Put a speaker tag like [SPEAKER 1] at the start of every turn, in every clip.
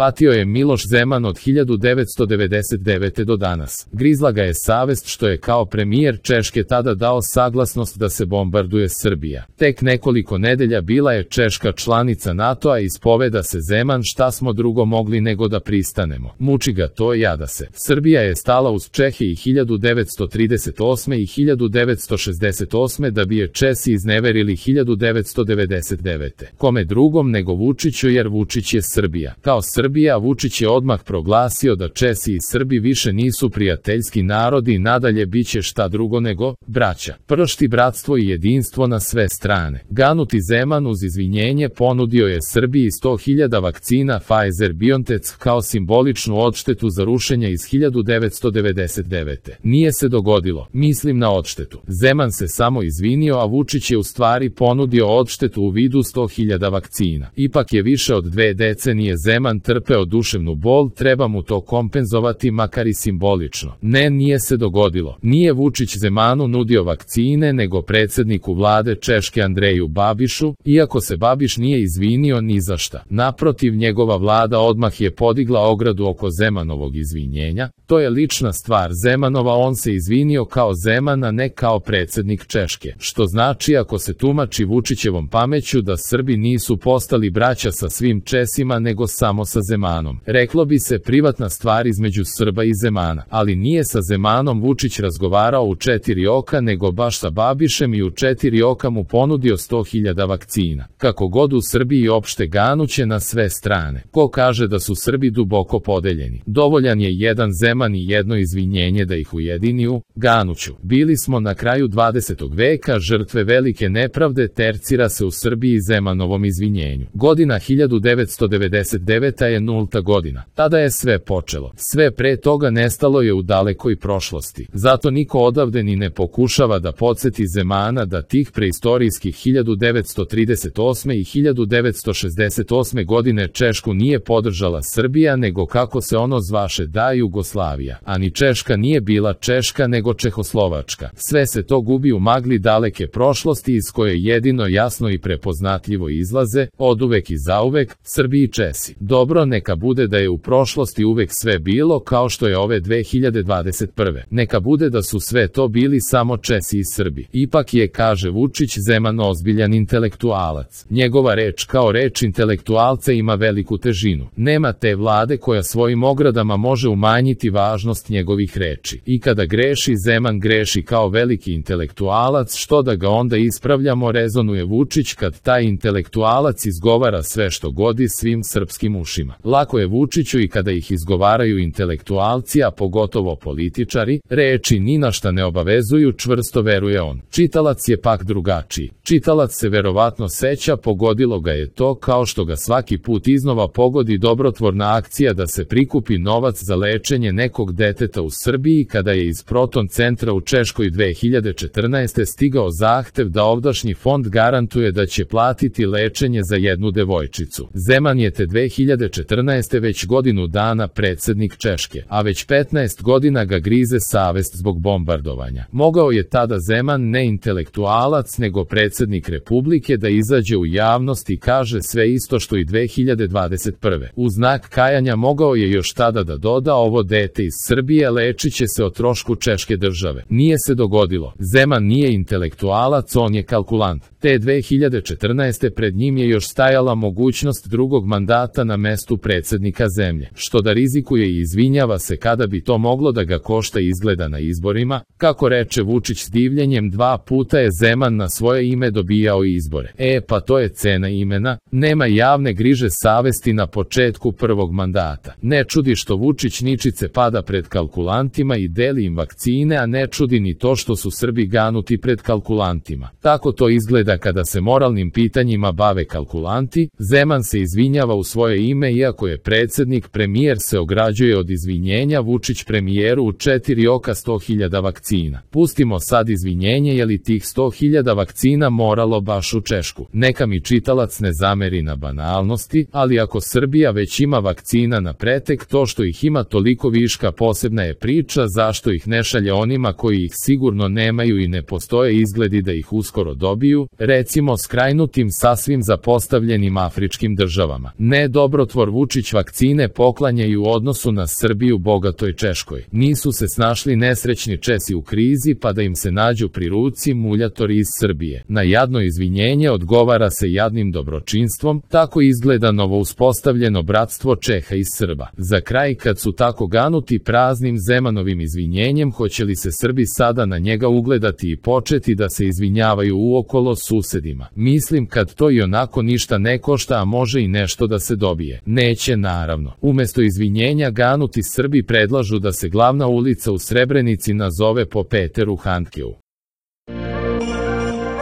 [SPEAKER 1] Patio je Miloš Zeman od 1999. do danas. Grizla ga je savest što je kao premijer Češke tada dao saglasnost da se bombarduje Srbija. Tek nekoliko nedelja bila je Češka članica NATO-a i ispoveda se Zeman šta smo drugo mogli nego da pristanemo. Muči ga to, jada se. Srbija je stala uz Čehe i 1938. i 1968. da bi je Česi izneverili 1999. Kome drugom nego Vučiću, jer Vučić je Srbija. Kao Srbija, Vučić je odmah proglasio da Česi i Srbi više nisu prijateljski narodi i nadalje biće šta drugo nego braća. Pršti bratstvo i jedinstvo na sve strane. Ganuti Zeman uz izvinjenje ponudio je Srbiji 100.000 vakcina Pfizer-BioNTech kao simboličnu odštetu za rušenje iz 1999. Nije se dogodilo, mislim na odštetu. Zeman se samo izvinio, a Vučić je u stvari ponudio odštetu u vidu 100.000 vakcina. Ipak je više od 2 decenije Zeman trpeo duševnu bol, treba mu to kompenzovati makar i simbolično. Ne, nije se dogodilo. Nije Vučić Zemanu nudio vakcine, nego predsjedniku vlade Češke Andreju Babišu, iako se Babiš nije izvinio ni za šta. Naprotiv, njegova vlada odmah je podigla ogradu oko Zemanovog izvinjenja. To je lična stvar Zemanova, on se izvinio kao Zeman, a ne kao predsjednik Češke. Što znači, ako se tumači Vučićevom pameću, da Srbi nisu postali braća sa svim Česima nego samo sa Zemanom. Reklo bi se privatna stvar između Srba i Zemana, ali nije sa Zemanom Vučić razgovarao u 4 oka, nego baš sa Babišem i u 4 oka mu ponudio 100.000 vakcina. Kako god, u Srbiji opšte ganuće na sve strane. Ko kaže da su Srbi duboko podeljeni? Dovoljan je jedan Zeman i jedno izvinjenje da ih ujedini u ganuću. Bili smo na kraju 20. veka žrtve velike nepravde, tercira se u Srbiji Zemanovom izvinjenju. Godina 1999. je 0. godina. Tada je sve počelo. Sve pre toga nestalo je u dalekoj prošlosti. Zato niko odavde ni ne pokušava da podsjeti Zemana da tih preistorijskih 1938. i 1968. godine Češku nije podržala Srbija, nego kako se ono zvaše da Jugoslavija. Ani Češka nije bila Češka, nego Čehoslovačka. Sve se to gubi u magli daleke prošlosti iz koje jedino jasno i prepoznatljivo izlaze, oduvek i zauvek, Srbi i Česi. Dobro, neka bude da je u prošlosti uvek sve bilo kao što je ove 2021. Neka bude da su sve to bili samo Česi i Srbi. Ipak je, kaže Vučić, Zeman ozbiljan intelektualac. Njegova reč kao reč intelektualca ima veliku težinu. Nema te vlade koja svojim ogradama može umanjiti važnost njegovih reči. I kada greši, Zeman greši kao veliki intelektualac, što da ga onda ispravljamo, rezonuje Vučić kad taj intelektualac izgovara sve što godi svim srpskim ušima. Lako je Vučiću i kada ih izgovaraju intelektualci, a pogotovo političari, reči ni na šta ne obavezuju, čvrsto veruje on. Čitalac je pak drugačiji. Čitalac se verovatno seća, pogodilo ga je to kao što ga svaki put iznova pogodi dobrotvorna akcija da se prikupi novac za lečenje nekog deteta u Srbiji kada je iz Proton centra u Češkoj 2014. stigao zahtev da ovdašnji fond garantuje da će platiti lečenje za jednu devojčicu. Zeman je te 2014. već godinu dana predsjednik Češke, a već 15 godina ga grize savest zbog bombardovanja. Mogao je tada Zeman, ne intelektualac nego predsjednik Republike, da izađe u javnost i kaže sve isto što i 2021. U znak kajanja mogao je još tada da doda, ovo dete iz Srbije lečit će se o trošku Češke države. Nije se dogodilo. Zeman nije intelektualac, on je kalkulant. Te 2014. pred njim je još stajala mogućnost drugog mandata na mestu predsjednika zemlje, što da rizikuje i izvinjava se kada bi to moglo da ga košta izgleda na izborima. Kako reče Vučić s divljenjem, 2 puta je Zeman na svoje ime dobijao izbore. Pa to je cena imena. Nema javne griže savesti na početku prvog mandata. Ne čudi što Vučić ničice pada pred kalkulantima i deli im vakcine, a ne čudi ni to što su Srbi ganuti pred kalkulantima. Tako to izgleda kada se moralnim pitanjima bave kalkulanti. Zeman se izvinjava u svoje ime, iako je predsjednik, premijer se ograđuje od izvinjenja. Vučić premijeru u 4 oka 100.000 vakcina. Pustimo sad izvinjenje, je li tih 100.000 vakcina moralo baš u Češku? Neka mi čitalac ne zameri na banalnosti, ali ako Srbija već ima vakcina na pretek, to što ih ima toliko viška posebna je priča, zašto ih ne šalje onima koji ih sigurno nemaju i ne postoje izgledi da ih uskoro dobiju, recimo skrajnutim sasvim zapostavljenim afričkim državama. Ne, dobrotvor Vučić vakcine poklanjaju u odnosu na Srbiju bogatoj Češkoj. Nisu se snašli nesrećni Česi u krizi pa da im se nađu pri ruci muljatori iz Srbije. Na jadno izvinjenje odgovara se jadnim dobročinstvom, tako izgleda novo uspostavljeno bratstvo Čeha i Srba. Za kraj, kad su tako ganuti praznim Zemanovim izvinjenjem, hoće li se Srbi sada na njega ugledati i početi da se izvinjavaju uokolo susedima? Mislim kad to i onako ništa ne košta, a može i nešto da se dobije. Neće naravno. Umesto izvinjenja ganuti Srbi predlažu da se glavna ulica u Srebrenici nazove po Peteru Handkeu.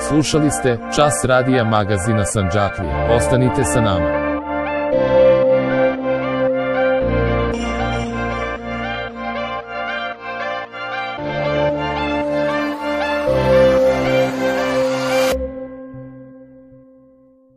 [SPEAKER 1] Slušali ste Čas radija magazina Sandžaklija. Ostanite sa nama.